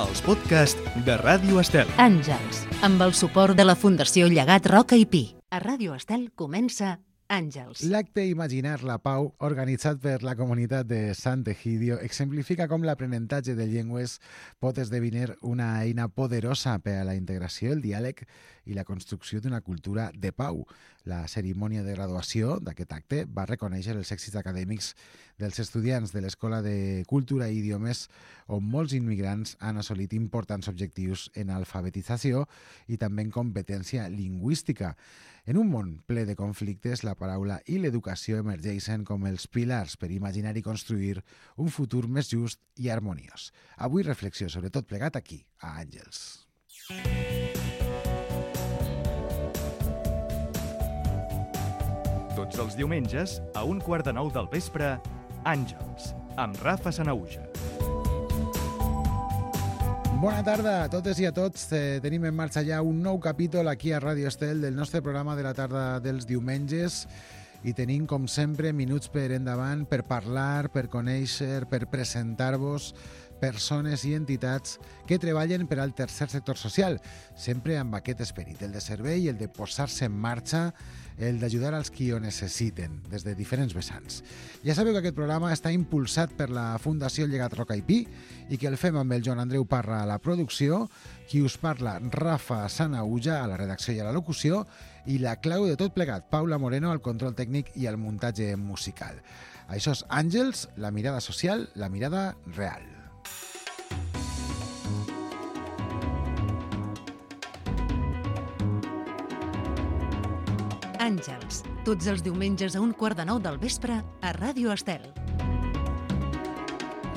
els podcasts de Ràdio Estel. Àngels, amb el suport de la Fundació Llegat Roca i Pi. A Ràdio Estel comença Àngels. L'acte Imaginar la Pau, organitzat per la comunitat de Sant Egidio, exemplifica com l'aprenentatge de llengües pot esdevenir una eina poderosa per a la integració, el diàleg i la construcció d'una cultura de pau. La cerimònia de graduació d'aquest acte va reconèixer els èxits acadèmics dels estudiants de l'Escola de Cultura i Idiomes, on molts immigrants han assolit importants objectius en alfabetització i també en competència lingüística. En un món ple de conflictes, la paraula i l'educació emergeixen com els pilars per imaginar i construir un futur més just i harmoniós. Avui reflexió sobre tot plegat aquí, a Àngels. Tots els diumenges, a 8:45 del vespre, Àngels, amb Rafa Sanauja. Bona tarda a totes i a tots. Tenim en marxa ja un nou capítol aquí a Ràdio Estel del nostre programa de la tarda dels diumenges i tenim, com sempre, minuts per endavant per parlar, per conèixer, per presentar-vos persones i entitats que treballen per al tercer sector social, sempre amb aquest esperit, el de servei, el de posar-se en marxa, el d'ajudar als qui ho necessiten, des de diferents vessants. Ja sabeu que aquest programa està impulsat per la Fundació Llegat Roca i Pi i que el fem amb el Joan Andreu Parra a la producció, qui us parla, Rafa Sanauja, a la redacció i a la locució, i la clau de tot plegat, Paula Moreno, al control tècnic i al muntatge musical. Això és Àngels, la mirada social, la mirada real. Àngels, tots els diumenges a 8:45 del vespre a Ràdio Estel.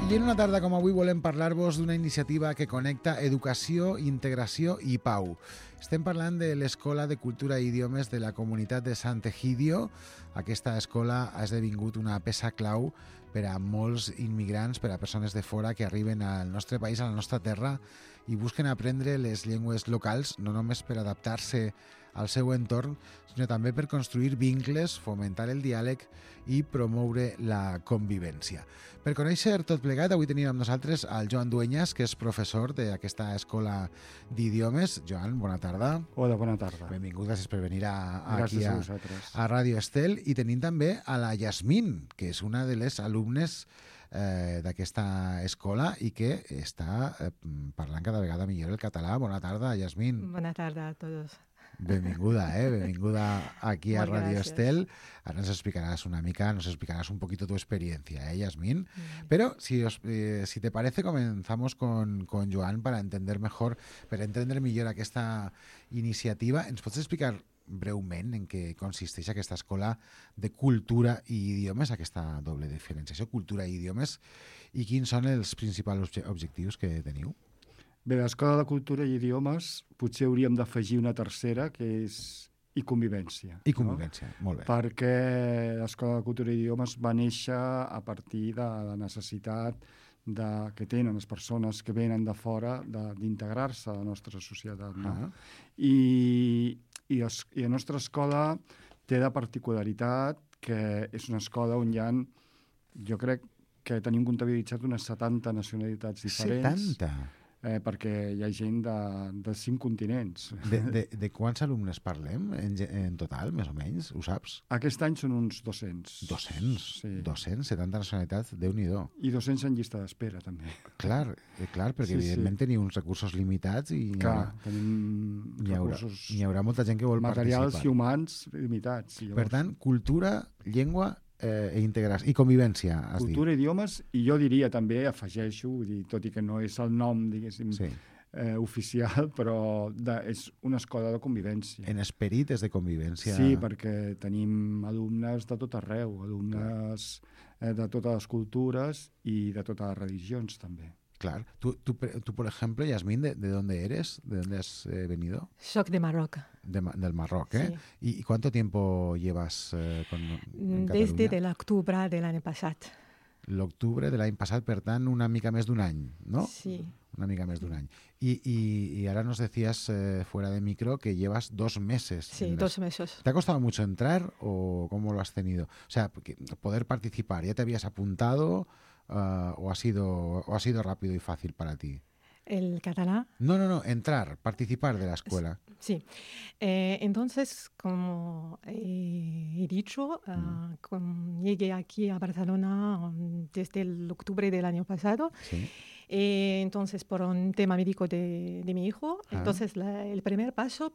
I en una tarda com avui volem parlar-vos d'una iniciativa que connecta educació, integració i pau. Estem parlant de l'Escola de Cultura i Idiomes de la comunitat de Sant Egidio. Aquesta escola ha esdevingut una peça clau per a molts immigrants, per a persones de fora que arriben al nostre país, a la nostra terra, i busquen aprendre les llengües locals, no només per adaptar-se al seu entorn, sinó també per construir vincles, fomentar el diàleg i promoure la convivència. Per conèixer tot plegat, avui tenim amb nosaltres el Joan Dueñas, que és professor d'aquesta escola d'idiomes. Joan, bona tarda. Hola, bona tarda. Benvingut, gràcies per venir Gràcies aquí a a Ràdio Estel. I tenim també a la Yasmín, que és una de les alumnes d'aquesta escola i que està parlant cada vegada millor el català. Bona tarda, Yasmín. Bona tarda a tots. Benvinguda, benvinguda aquí a Molt Radio gràcies. Estel. Ahora nos explicarás un poquito tu experiencia, Yasmín. Pero si te parece, comenzamos con Joan para entender mejor, para entender millor aquesta iniciativa. Ens pots explicar breument en què consisteix aquesta escola de cultura i idiomes, aquesta doble diferenciació, cultura i idiomes, i quins són els principals objectius que teniu? Bé, l'Escola de Cultura i Idiomes potser hauríem d'afegir una tercera, que és i convivència. I convivència, molt bé. Perquè l'Escola de Cultura i Idiomes va néixer a partir de la necessitat que tenen les persones que venen de fora d'integrar-se a la nostra societat. No? I la nostra escola té la particularitat que és una escola on hi ha, jo crec que tenim comptabilitzat unes 70 nacionalitats diferents. 70? Perquè hi ha gent de 5 continents. De quants alumnes parlem en total, més o menys? Ho saps? Aquest any són uns 200. 200? Sí. 270 nacionalitats, Déu-n'hi-do. I 200 en llista d'espera, també. Clar, perquè Sí, evidentment teniu uns recursos limitats i tenim recursos hi haurà molta gent que vol materials participar. i humans limitats. Per tant, cultura, llengua integració i convivència, has dit. Cultura, idiomes, i jo diria també, afegeixo, vull dir, tot i que no és el nom, diguéssim, Sí. oficial, però és una escola de convivència. En esperit és de convivència. Sí, perquè tenim alumnes de tot arreu, alumnes de totes les cultures i de totes les religions, també. Claro. Tú, por ejemplo, Yasmín, ¿de dónde eres? ¿De dónde has venido? Soc de Marroc. Del Marroc, ¿eh? Sí. ¿Y cuánto tiempo llevas en Catalunya? Des de l'octubre de l'any passat. L'octubre de l'any passat, per tant, una mica més d'un any, ¿no? Sí. Una mica més d'un any. Y ahora nos decías fuera de micro que llevas 2 meses. Sí, 2 meses. ¿Te ha costado mucho entrar o cómo lo has tenido? O sea, poder participar, ¿ya te habías apuntado o ha sido rápido y fácil para ti? el catalán. No, entrar, participar de la escuela. Sí. Entonces, como he dicho, llegué aquí a Barcelona desde el octubre del año pasado. Sí. Entonces, por un tema médico de mi hijo, entonces el primer paso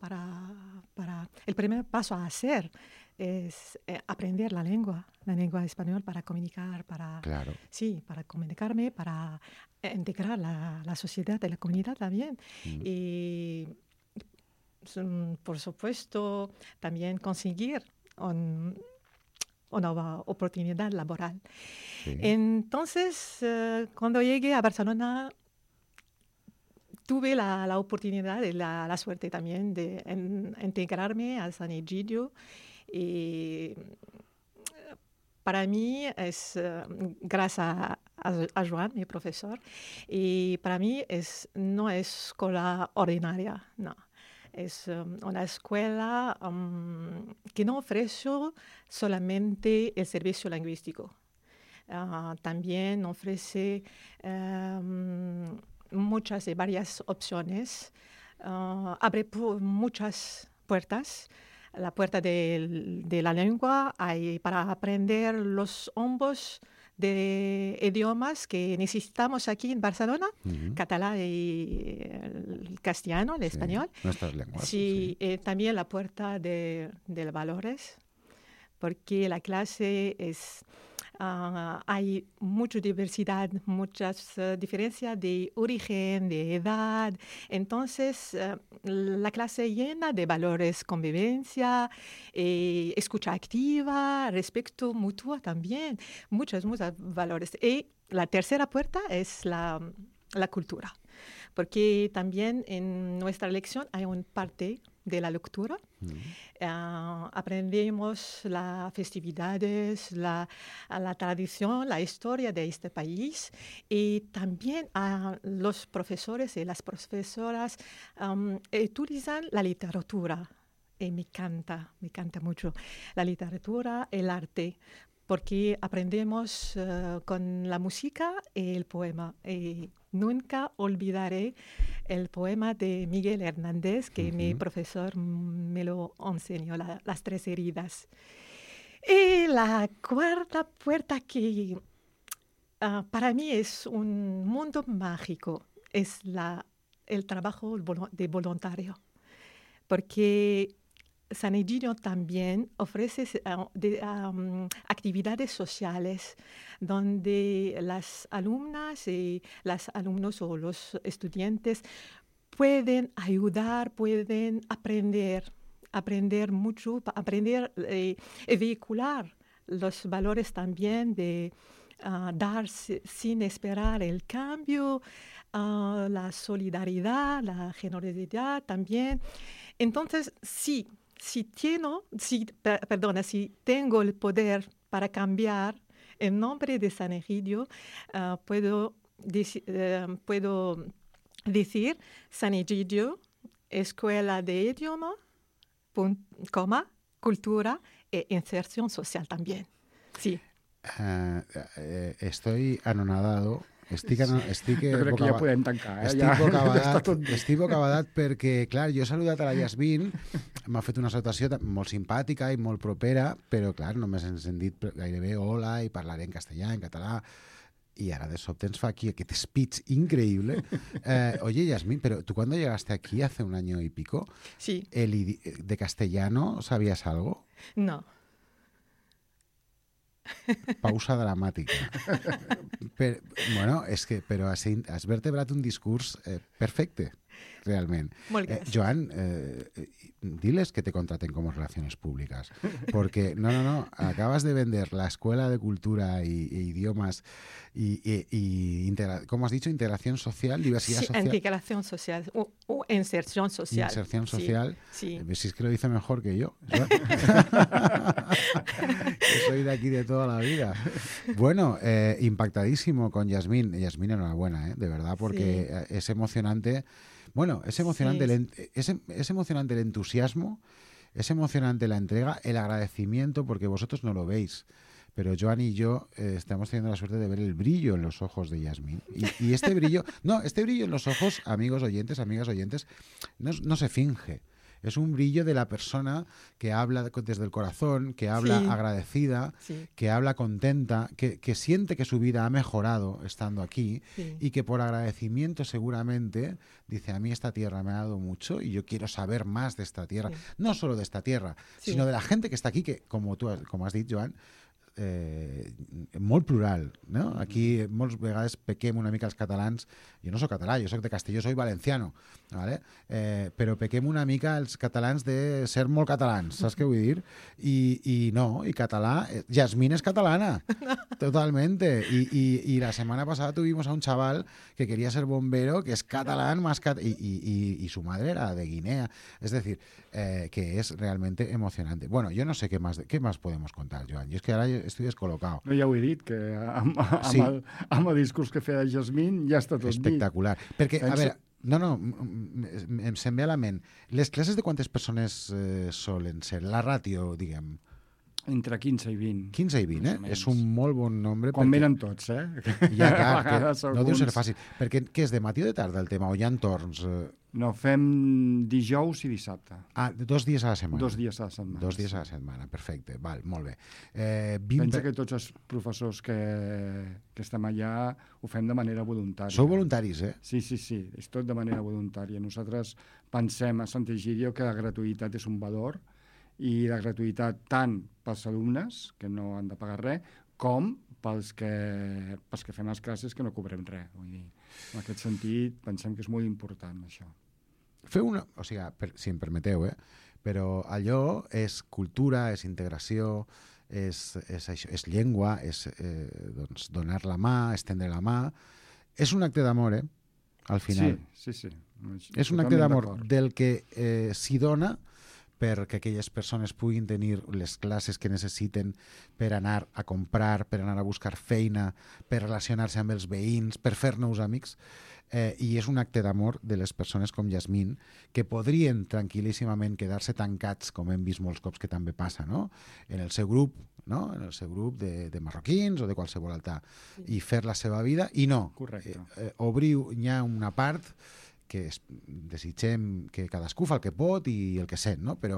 el primer paso a hacer es aprender la lengua española para comunicar, Claro. sí, para comunicarme, para integrar la sociedad y la comunidad también. Y por supuesto, también conseguir una oportunidad laboral. Sí. Entonces, cuando llegué a Barcelona, tuve la oportunidad y la suerte también de integrarme a San Egidio. Y para mí es, gracias a Joan, mi profesor, y para mí no es escuela ordinaria, no. Es una escuela que no ofrece solamente el servicio lingüístico. También ofrece muchas y varias opciones. Abre muchas puertas. La puerta de la lengua hay para aprender los ambos de idiomas que necesitamos aquí en Barcelona, catalán y el castellano, el español. Nuestras lenguas. Sí, también la puerta de valores, porque la clase hay mucha diversidad, muchas diferencias de origen, de edad. Entonces, la clase llena de valores, convivencia, escucha activa, respeto mutuo también, muchos valores. Y la tercera puerta es la cultura, porque también en nuestra lección hay una parte de la lectura. Aprendemos las festividades, la tradición, la historia de este país, y también los profesores y las profesoras utilizan la literatura. Y me encanta mucho la literatura, el arte, porque aprendemos con la música y el poema. Y nunca olvidaré el poema de Miguel Hernández, que mi profesor me lo enseñó, las 3 heridas. Y la cuarta puerta que para mí es un mundo mágico, es el trabajo de voluntario. Porque San Egidio también ofrece actividades sociales donde las alumnas y los alumnos o los estudiantes pueden ayudar, pueden aprender mucho, aprender y vehicular los valores también de dar sin esperar el cambio, la solidaridad, la generosidad también. Entonces, si tengo el poder para cambiar el nombre de San Egidio, puedo decir San Egidio, Escuela de Idioma, cultura e inserción social también. Sí. Estoy anonadado. Estic jo crec que ja podem tancar. Estic bocabadat perquè, clar, jo he saludat a la Yasmin, m'ha fet una salutació molt simpàtica i molt propera, però, clar, només ens hem dit gairebé hola i parlaré en castellà, en català, y ahora de sobte ens fa aquí aquest speech increíble. Oye, Yasmin, pero tú cuando llegaste aquí hace un año y pico, sí. ¿De castellano sabías algo? No. Pausa dramàtica. Però has vertebrat un discurs perfecte, realment. Molt gràcies. Joan, diles que te contraten como relaciones públicas, porque no, acabas de vender la Escuela de Cultura e Idiomas y ¿cómo has dicho? Integración social, diversidad social. Integración social o inserción social. Inserción social. Sí. Si es que lo dice mejor que yo. Que soy de aquí de toda la vida. Bueno, impactadísimo con Yasmin. Yasmin, enhorabuena, de verdad, porque sí. Es emocionante. Bueno, es emocionante, sí. Es emocionante el entusiasmo, es emocionante la entrega, el agradecimiento, porque vosotros no lo veis, pero Joan y yo estamos teniendo la suerte de ver el brillo en los ojos de Yasmín. Y este brillo en los ojos, amigos oyentes, amigas oyentes, no se finge. Es un brillo de la persona que habla desde el corazón, que habla agradecida, que habla contenta, que siente que su vida ha mejorado estando aquí y que por agradecimiento seguramente dice, a mí esta tierra me ha dado mucho y yo quiero saber más de esta tierra. No solo de esta tierra, sino de la gente que està aquí, que com has dit, Joan, molt plural, no? Aquí moltes vegades pequem una mica els catalans, jo no soc català, jo soc de Castelló, soy valenciano, ¿vale? Però pequem una mica els catalans de ser molt catalans, saps què vull dir? I no, i català, Yasmín es catalana, totalmente, y la semana pasada tuvimos a un chaval que quería ser bombero, que es catalán, y su madre era de Guinea, es decir, que es realmente emocionante. Bueno, yo no sé qué más podemos contar, Joan, y es que ahora estoy descolocado. No, ja ho he dit, que amb el discurs que feia Yasmín ja està tot espectacular. dit. Perquè, a veure, se'm ve a la ment. Les classes de quantes persones solen ser? La ràtio, diguem. Entre 15 i 20. 15 i 20, És un molt bon nombre. Quan venen tots, Ja, clar, no deu ser fàcil. Perquè què és, de matí o de tarda el tema? O hi ha torns? No, fem dijous i dissabte. 2 dies a la setmana. 2 dies a la setmana. 2 dies a la setmana, perfecte. Val, molt bé. Pensa que tots els professors que estem allà ho fem de manera voluntària. Sou voluntaris, Sí, és tot de manera voluntària. Nosaltres pensem a Sant Egidio que la gratuïtat és un valor i la gratuïtat tant pels alumnes, que no han de pagar res, com pels que fem les classes que no cobrem res. Vull dir, en aquest sentit, pensem que és molt important, això. Feu una... O sigui, si em permeteu, però allò és cultura, és integració, és llengua, és doncs, donar la mà, estendre la mà. És un acte d'amor, al final. Sí. És un acte d'amor del que s'hi dona perquè aquelles persones puguin tenir les classes que necessiten per anar a comprar, per anar a buscar feina, per relacionar-se amb els veïns, per fer nous amics. I és un acte d'amor de les persones com Yasmín, que podrien tranquil·líssimament quedar-se tancats, com hem vist molts cops que també passa, no? En el seu grup, no? En el seu grup de marroquins o de qualsevol altre, i fer la seva vida, i no. Correcte. N'hi ha una part que desitgem que cadascú fa el que pot i el que sent, no? Però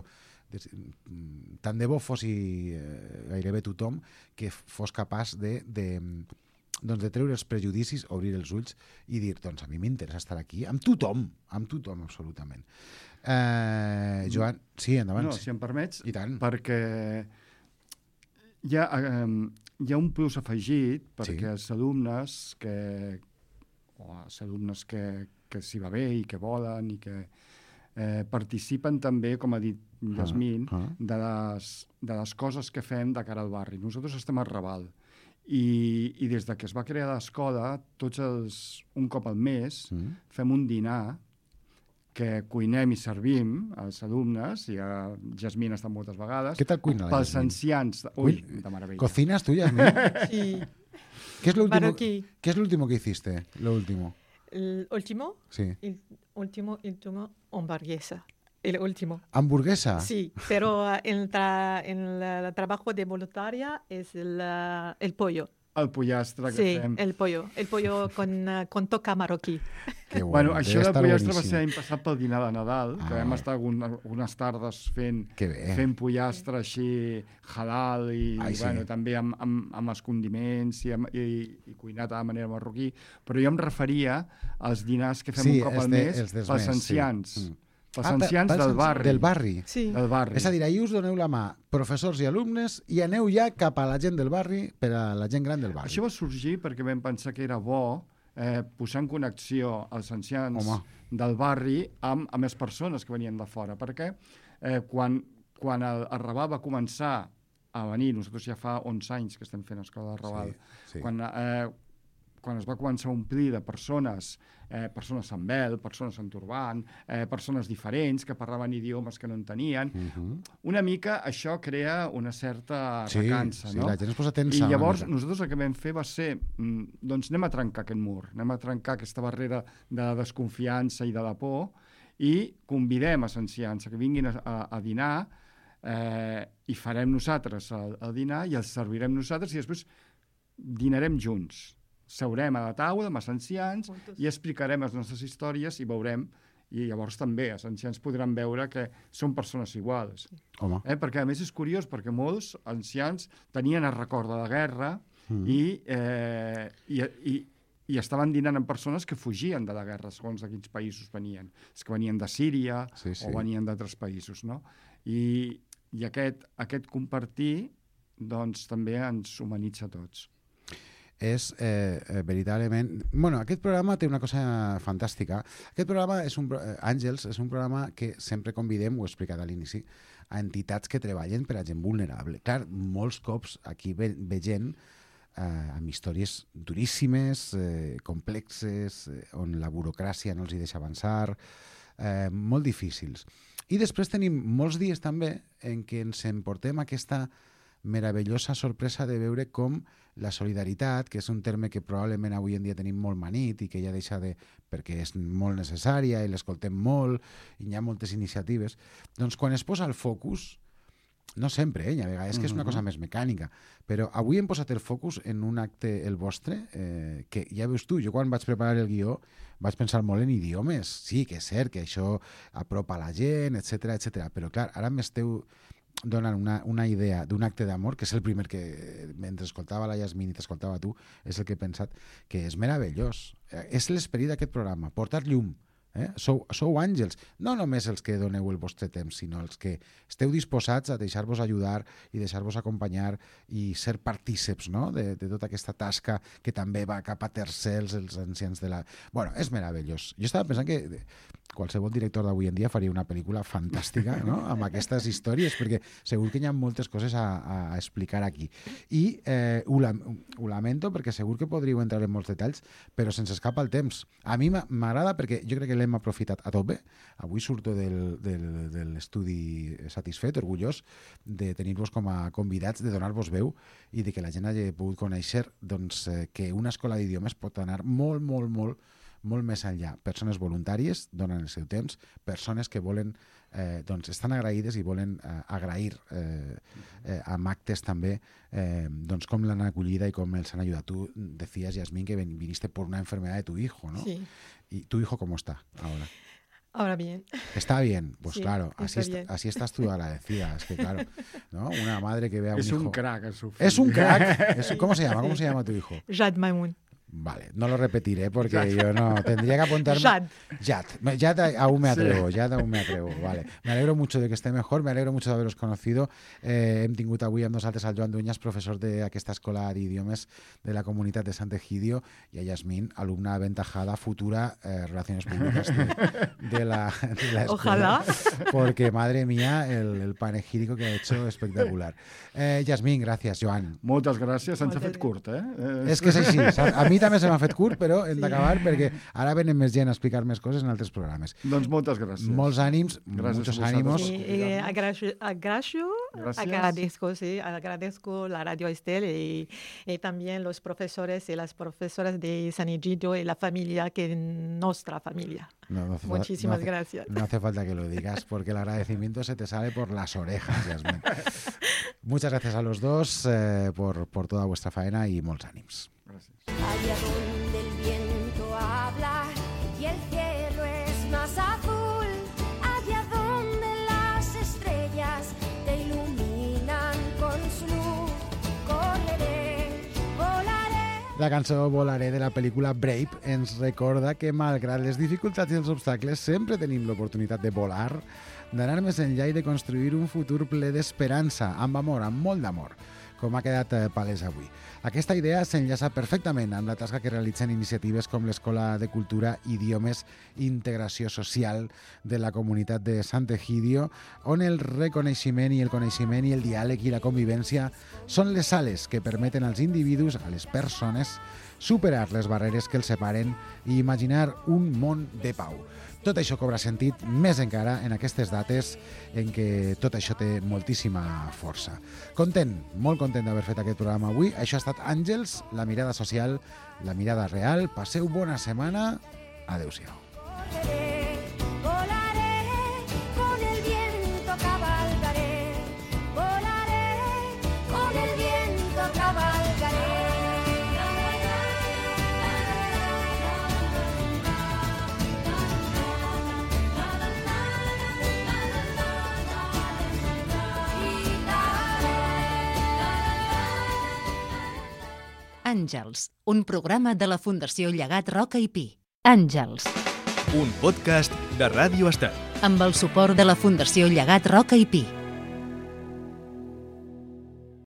tant de bo fos gairebé tothom que fos capaç de treure els prejudicis, obrir els ulls i dir, doncs a mi m'interessa estar aquí amb tothom absolutament. Joan, sí, endavant. No, si em permets, i tant. Perquè hi ha un plus afegit perquè els alumnes que s'hi va bé i que volen i que participen també, com ha dit Yasmín, de les coses que fem de cara al barri. Nosaltres estem al Raval i des que es va crear l'escola, un cop al mes, fem un dinar que cuinem i servim als alumnes, i a Yasmín ha estat moltes vegades. Què tal cuina la Yasmín? Pels ancians. Ui, de meravella. ¿Cocinas tú, Yasmín? Sí. ¿Qué es lo último que hiciste? Lo último. ¿El último? Sí. El último, hamburguesa. El último. ¿Hamburguesa? Sí, pero en el trabajo de voluntaria es el pollo. El pollastre que fem. Sí, el pollo con toca marroquí. Que bueno, això del pollastre va ser l'any passat pel dinar de Nadal, que vam estar algunes tardes fent pollastre així halal i també amb els condiments i cuinat de manera marroquí, però jo em referia als dinars que fem un cop al mes pels ancians. Els ancians del barri. Del barri. Sí. Del barri. És a dir, ahir us doneu la mà, professors i alumnes, i aneu ja cap a la gent del barri per a la gent gran del barri. Això va sorgir perquè vam pensar que era bo posar en connexió els ancians del barri amb les persones que venien de fora, perquè quan el Raval va començar a venir, nosaltres ja fa 11 anys que estem fent escola de Raval, quan es va començar a omplir de persones amb vel, persones amb turbant, persones diferents que parlaven idiomes que no entenien, una mica això crea una certa recança, no? Sí, la gent es posa tensa. I llavors nosaltres el que vam fer va ser, doncs anem a trencar aquest mur, anem a trencar aquesta barrera de la desconfiança i de la por i convidem els ancians a que vinguin a dinar i farem nosaltres el dinar i el servirem nosaltres i després dinarem junts. Seurem a la taula amb els ancians i explicarem les nostres històries i veurem, i llavors també els ancians podran veure que són persones iguals. Home. Perquè a més és curiós, perquè molts ancians tenien el record de la guerra i estaven dinant amb persones que fugien de la guerra, segons de quins països venien. És que venien de Síria o venien d'altres països, no? I aquest compartir doncs, també ens humanitza a tots. És veritablement... Bueno, aquest programa té una cosa fantàstica. Aquest programa, Àngels, és un programa que sempre convidem, ho he explicat a l'inici, a entitats que treballen per a gent vulnerable. Clar, molts cops aquí ve gent amb històries duríssimes, complexes, on la burocràcia no els hi deixa avançar, molt difícils. I després tenim molts dies també en què ens emportem aquesta meravellosa sorpresa de veure com la solidaritat, que és un terme que probablement avui en dia tenim molt manit i que ja deixa de... perquè és molt necessària i l'escoltem molt i hi ha moltes iniciatives, doncs quan es posa el focus, no sempre, a vegades que és una cosa més mecànica, però avui hem posat el focus en un acte, el vostre, que ja veus tu, jo quan vaig preparar el guió vaig pensar molt en idiomes, sí que és cert que això apropa la gent, etc, però clar, ara m'esteu donant una idea d'un acte d'amor, que és el primer que, mentre escoltava la Yasmín i t'escoltava tu, és el que he pensat, que és meravellós. És l'esperit d'aquest programa, portar llum. Sou àngels, no només els que doneu el vostre temps, sinó els que esteu disposats a deixar-vos ajudar i deixar-vos acompanyar i ser partíceps, no? de tota aquesta tasca que també va cap a tercers, els ancians de la... Bueno, és meravellós. Jo estava pensant que qualsevol director d'avui en dia faria una pel·lícula fantàstica, no? Amb aquestes històries, perquè segur que hi ha moltes coses a explicar aquí. I ho lamento perquè segur que podríeu entrar en molts detalls, però se'ns escapa el temps. A mi m'agrada perquè jo crec que l'hem aprofitat a tope. Avui surto de l'estudi satisfet, orgullós de tenir-vos com a convidats, de donar-vos veu i de que la gent hagi pogut conèixer doncs, que una escola d'idiomes pot anar molt, molt, molt, molt més enllà. Persones voluntàries donen el seu temps, persones que volen, doncs estan agraïdes i volen agrair amb actes també doncs com l'han acollida i com els han ajudat. Tu decías, Yasmín, que viniste por una enfermedad de tu hijo, ¿no? Sí. ¿Y tu hijo cómo está ahora? Ahora bien. Está bien, pues sí, claro, así estás tú agradecida. Es que claro, ¿no? Una madre que vea a un hijo... Es un crack, es un crack. ¿Cómo se llama? ¿Cómo se llama tu hijo? Jad Maimoun. Vale, no lo repetiré porque yo no... Tendría que apuntarme... Jad aún me atrevo, Jad aún me atrevo. Vale. Me alegro mucho de que esté mejor, me alegro mucho de haberos conocido. Hem tingut avui amb nosaltres el Joan Dueñas, professor d'aquesta escola d'idiomes de la comunitat de Sant Egidio, i a Yasmín, alumna aventajada, futura Relaciones Públicas de la escuela. Ojalá. Porque, madre mía, el panegírico que ha hecho espectacular. Yasmín, gracias, Joan. Moltes gràcies, ens ha fet curt, És que és així, a mi també se m'ha fet curt, però hem d'acabar perquè ara venen més gent a explicar més coses en altres programes. Doncs moltes gràcies. Molts ànims, muchos ánimos. Agradezco la Radio Estel y también los profesores y las profesoras de San Egidio y la familia, que es nuestra familia. Muchísimas gracias. No hace falta que lo digas porque el agradecimiento se te sale por las orejas, Yasmín. Muchas gracias a los dos por toda vuestra faena y molts ànims. Gràcies. Allá donde el viento habla y el cielo es más azul, allá donde las estrellas te iluminan con su luz, correré, volaré. La cançó Volaré de la pel·lícula Brave ens recorda que malgrat les dificultats i els obstacles sempre tenim l'oportunitat de volar, d'anar més enllà i de construir un futur ple d'esperança, amb amor, amb molt d'amor, com ha quedat palès avui. Aquesta idea s'enllaça perfectament amb la tasca que realitzen iniciatives com l'Escola de Cultura, Idiomes i Integració Social de la comunitat de Sant Egidio, on el reconeixement i el coneixement i el diàleg i la convivència són les sales que permeten als individus, a les persones, superar les barreres que els separen i imaginar un món de pau. Tot això cobra sentit més encara en aquestes dates en què tot això té moltíssima força. Content, molt content d'haver fet aquest programa avui. Això ha estat Àngels, la mirada social, la mirada real. Passeu bona setmana. Adéu-siau. Volaré, con el viento cabalgaré. Àngels, un programa de la Fundació Llegat Roca i Pi. Àngels, Un podcast de Ràdio Estel. amb el suport de la Fundació Llegat Roca i Pi.